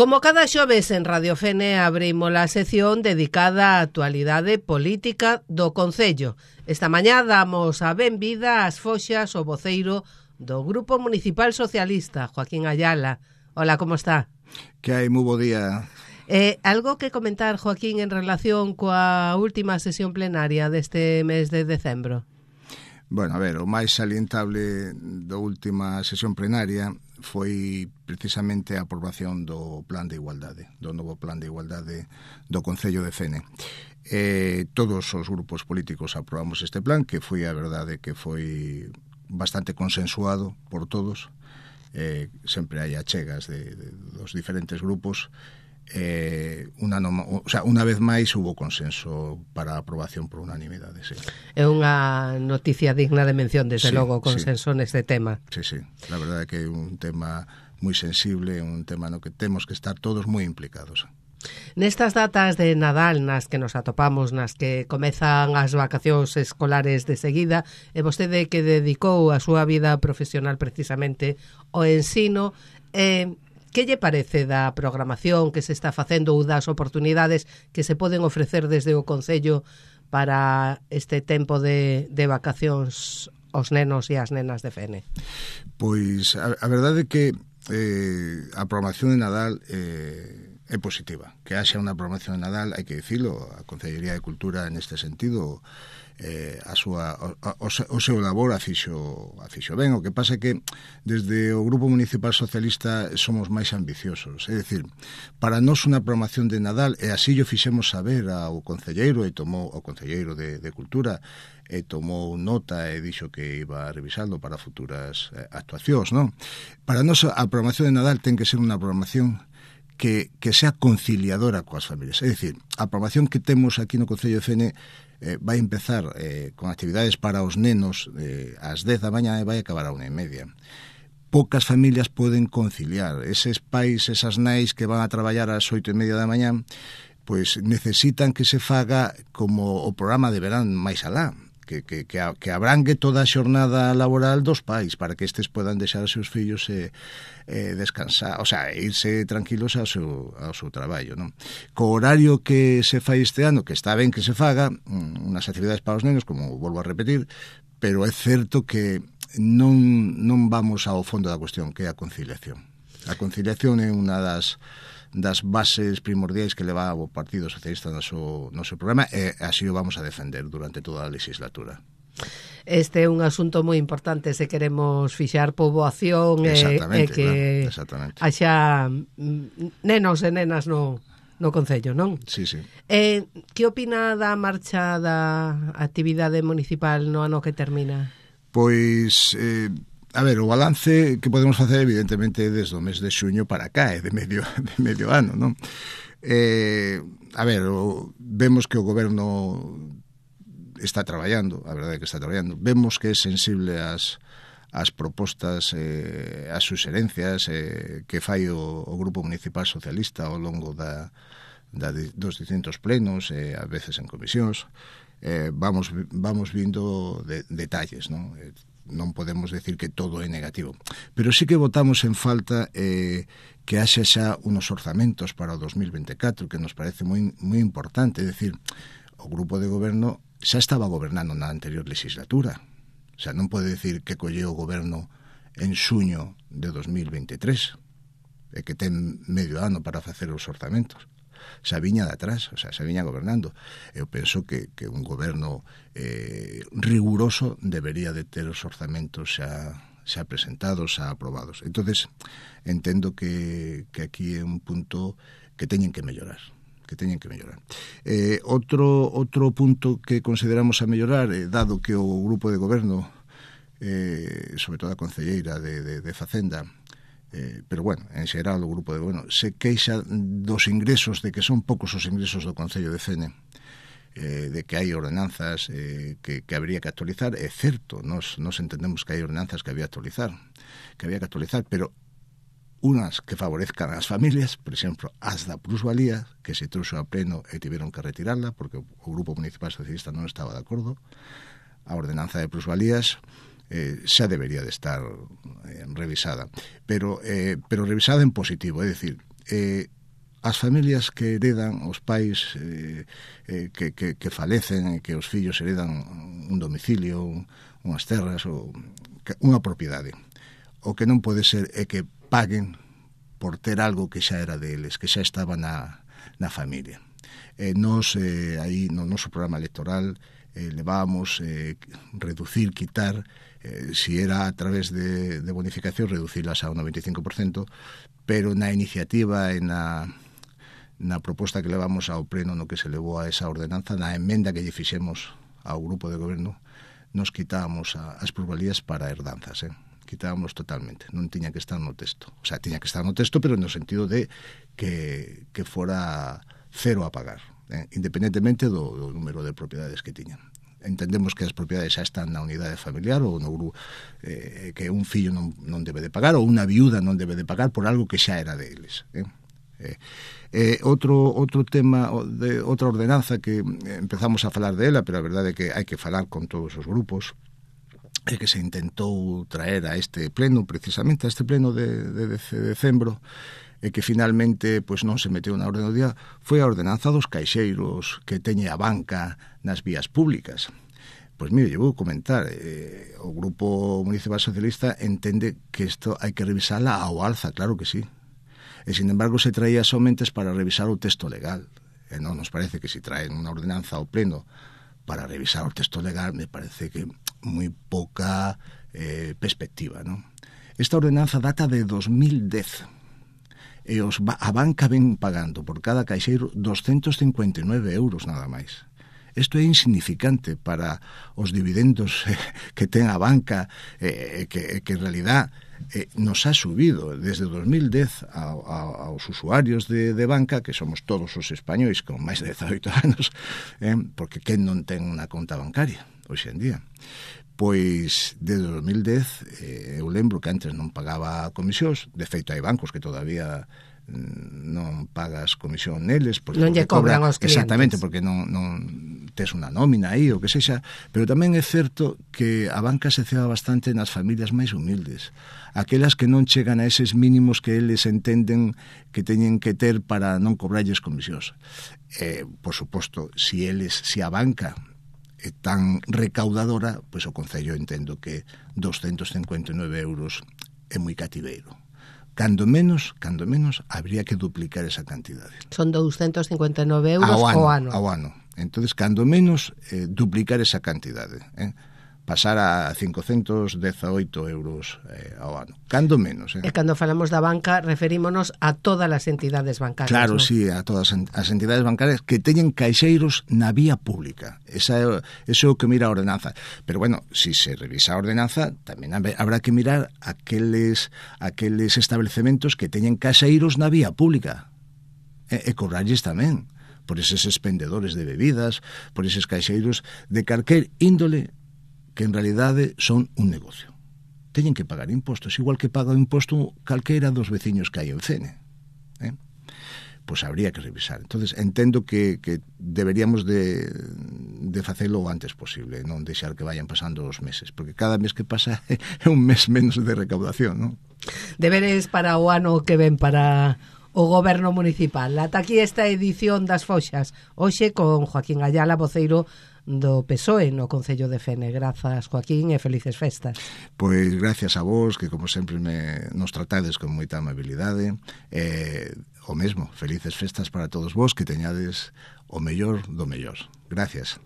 Como cada xoves en Radio Fene abrimos a sección dedicada á actualidade política do Concello. Esta mañá damos a benvida ás foxas o voceiro do Grupo Municipal Socialista, Joaquín Ayala. Hola, como está? Que hai, moi bo día. Algo que comentar, Joaquín, en relación coa última sesión plenaria deste mes de decembro? Bueno, a ver, o máis salientable da última sesión plenaria foi precisamente a aprobación do plan de igualdade, do novo plan de igualdade do Concello de Fene. Todos os grupos políticos aprobamos este plan, que foi a verdade que foi bastante consensuado por todos. Sempre hai achegas dos diferentes grupos. Una vez máis hubo consenso para a aprobación por unanimidade, sí. É unha noticia digna de mención, desde logo, consenso neste tema. Sí, la verdade é que é un tema moi sensible, un tema no que temos que estar todos moi implicados. Nestas datas de Nadal nas que nos atopamos, nas que comezan as vacacións escolares de seguida, e vostede que dedicou a súa vida profesional precisamente ao ensino, que lle parece da programación que se está facendo ou das oportunidades que se poden ofrecer desde o Concello para este tempo de vacacións aos nenos e as nenas de Fene? Pois a verdade é que a programación de Nadal é positiva. Que haxa unha programación de Nadal, hai que dicilo, a Concellería de Cultura neste sentido o seu labor a fixo ben. O que pasa é que desde o Grupo Municipal Socialista somos máis ambiciosos, é dicir, para nós unha programación de Nadal, e así o fixemos saber ao concelleiro e tomou o concelleiro de Cultura e tomou nota e dixo que iba a revisarlo para futuras actuacións, non? Para nós a programación de Nadal ten que ser unha programación que sea conciliadora coas familias. É dicir, a programación que temos aquí no Concello de Fene vai empezar con actividades para os nenos ás 10 da mañá e vai acabar a 1:30. Poucas familias poden conciliar. Eses pais, esas nais que van a traballar ás 8:30 da mañá, pois necesitan que se faga como o programa de verán máis alá, que abrangue toda a xornada laboral dos pais, para que estes podan deixar os seus fillos descansar, o sea, irse tranquilos ao seu traballo, non? Co horario que se fai este ano, que está ben que se faga, unhas actividades para os nenos, como volvo a repetir, pero é certo que non vamos ao fondo da cuestión, que é a conciliación. A conciliación é unha das bases primordiais que leva o Partido Socialista no seu programa, e así o vamos a defender durante toda a legislatura. Este é un asunto moi importante se queremos fixar poboación e que haxa nenos e nenas no Concello, non? Sí. Que opina da marcha da actividade municipal no ano que termina? Pois a ver, o balance que podemos facer evidentemente desde o mes de xuño para cá, de medio ano, non? A ver, vemos que o goberno está traballando, a verdade é que está traballando. Vemos que é sensible ás propostas, ás suxerencias que fai o Grupo Municipal Socialista ao longo dos distintos plenos, a veces en comisións. Vamos vindo detalles, non? Non podemos decir que todo é negativo, pero sí que votamos en falta que haxa xa unos orzamentos para o 2024, que nos parece moi importante. É dicir, o grupo de goberno xa estaba gobernando na anterior legislatura, o sea, non pode decir que colleu o goberno en xuño de 2023 e que ten medio ano para facer os orzamentos. Xa viña de atrás, o sea, xa viña gobernando. Eu penso que un goberno riguroso debería de ter os orzamentos xa presentados, xa aprobados. Entonces, entendo que aquí é un punto que teñen que mellorar. Outro punto que consideramos a mellorar, dado que o grupo de goberno, sobre todo a concelleira de Facenda, pero bueno, en xeral o grupo de goberno se queixa dos ingresos, de que son poucos os ingresos do Concello de Fene, de que hai ordenanzas que habría que actualizar. É certo, nos entendemos que hai ordenanzas que había que actualizar, pero unas que favorezcan ás familias, por exemplo, as da plusvalía, que se trouxo a pleno e tiveron que retirarla porque o Grupo Municipal Socialista non estaba de acordo. A ordenanza de plusvalías xa debería de estar revisada, pero revisada en positivo, é dicir, as familias que heredan, os pais que falecen, que os fillos heredan un domicilio, unhas terras ou unha propiedade. O que non pode ser é que paguen por ter algo que xa era deles, que xa estaba na familia. Nos, aí no noso programa electoral, levábamos reducir, quitar, si era a través de bonificación, reducirlas ao 95%, pero na iniciativa e na proposta que levamos ao pleno no que se levou a esa ordenanza, na emenda que lle fixemos ao grupo de goberno, nos quitábamos as plusvalías para herdanzas, quitábamos totalmente, non tiña que estar no texto. O sea, tiña que estar no texto, pero no sentido de que fora cero a pagar, independentemente do número de propiedades que tiñan. Entendemos que as propiedades xa están na unidade familiar ou no grupo, que un fillo non debe de pagar ou unha viuda non debe de pagar por algo que xa era deles. Outro tema, outra ordenanza que empezamos a falar dela, pero a verdade é que hai que falar con todos os grupos, é que se intentou traer a este pleno, precisamente a este pleno de decembro, e que finalmente pois non se meteu na orde do día, foi a ordenanza dos caixeiros que teñe a banca nas vías públicas. Pois mire, eu vou comentar, o Grupo Municipal Socialista entende que isto hai que revisala ao alza, claro que sí. E, sin embargo, se traía somente para revisar o texto legal. E non nos parece que se traen unha ordenanza ao pleno para revisar o texto legal, me parece que moi pouca perspectiva, non? Esta ordenanza data de 2010 e a banca ven pagando por cada caixeiro 259 euros nada máis. Isto é insignificante para os dividendos que ten a banca, que en realidad nos ha subido desde 2010 aos usuarios de banca, que somos todos os españois con máis de 18 anos, porque quen non ten unha conta bancaria hoxe en día? Pois, desde 2010, eu lembro que antes non pagaba comisións, de feito hai bancos que todavía non pagas comisión neles, porque non lle cobran aos clientes. Exactamente, porque non tes unha nómina aí, ou que sexa, pero tamén é certo que a banca se ceba bastante nas familias máis humildes, aquelas que non chegan a eses mínimos que eles entenden que teñen que ter para non cobrarlles comisións. Por suposto, si a banca é tan recaudadora, pois o Concello entendo que 259 euros é moi cativeiro. Cando menos, habría que duplicar esa cantidade. Son 259 euros ao ano. Ao ano. Entonces, cando menos, duplicar esa cantidade. Pasar a 518 euros ao ano. Cando menos. E cando falamos da banca, referímonos a todas as entidades bancarias. Claro, ¿no? sí, a todas as entidades bancarias que teñen caixeiros na vía pública. Eso é o que mira a ordenanza. Pero, bueno, si se revisa a ordenanza, tamén habrá que mirar aqueles establecementos que teñen caixeiros na vía pública. E cobrarlles tamén por eses expendedores de bebidas, por eses caixeiros de calquer índole que en realidade son un negocio. Teñen que pagar impostos, igual que paga o imposto calquera dos veciños que hai en Cene. Pois habría que revisar. Entonces entendo que deberíamos de facelo o antes posible, non deixar que vayan pasando os meses, porque cada mes que pasa é un mes menos de recaudación, non? Deberes para o ano que ven para o Goberno Municipal. Ata aquí esta edición das Foxas, hoxe con Joaquín Ayala, voceiro do PSOE no Concello de Fene. Grazas, Joaquín, e felices festas. Pois gracias a vos, que como sempre nos tratades con moita amabilidade. O mesmo, felices festas para todos vos, que teñades o mellor do mellor. Gracias.